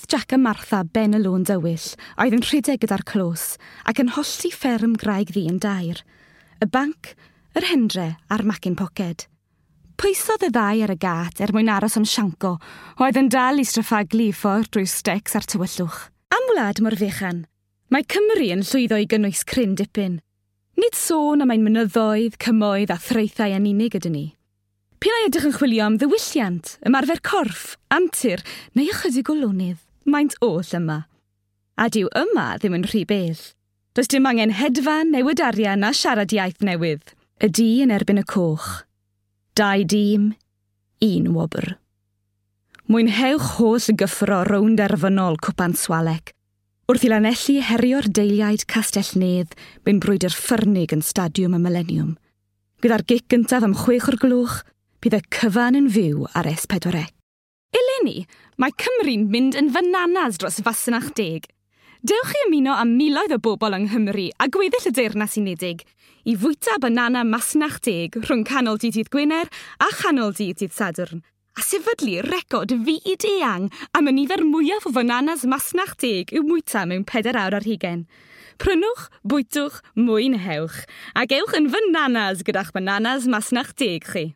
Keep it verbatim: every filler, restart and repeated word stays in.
Croesodd Jack a Martha ben y lôn dywyll, oedd yn rhedeg gyda'r clos, ac yn hollti fferm Graig Ddu yn dair. Y banc, yr hendre a'r macyn poced. Pwysodd y ddau ar y gât er mwyn aros am Sianco, oedd yn dal i straffaglu i ffordd drwy'r stecs a'r tywyllwch. Am wlad mor fechan, mae Cymru yn llwyddo i gynnwys cryn dipyn. Nid sôn am ein mynyddoedd, cymoedd a thraethau yn unig ydyn ni. P'un ai ydych yn chwilio am ddiwylliant, ymarfer corff, antur neu ychydig o lonydd, maent oll yma. A dyw yma ddim yn rhy bell. Does dim angen hedfan, newid arian a siarad iaith newydd. Y du yn erbyn y coch. Dau dîm, un wobr. Mwynhewch holl gyffro rownd derfynol Cwpan Swalec. Wrth i Lanelli herio'r deiliaid Castell Nedd mewn brwydr ffyrnig yn Stadiwm y Millennium. Gyda'r gic gyntaf am chwech o'r gloch, bydd y cyfan yn fyw ar S pedwar C. Eleni, mae Cymru'n mynd yn fananas dros fasnach deg. Dewch i ymuno â miloedd o bobl yng Nghymru a gweddill y Deyrnas Unedig i fwyta banana masnach deg rhwng canol dydd dydd Gwener a chanol dydd dydd Sadwrn, a sefydlu record fyd eang am y nifer mwyaf o fananas masnach deg i'w mwyta mewn pedair awr ar hugain. Prynwch, bwytwch, mwynhewch, ac ewch yn fananas gyda'ch bananas masnach deg chi.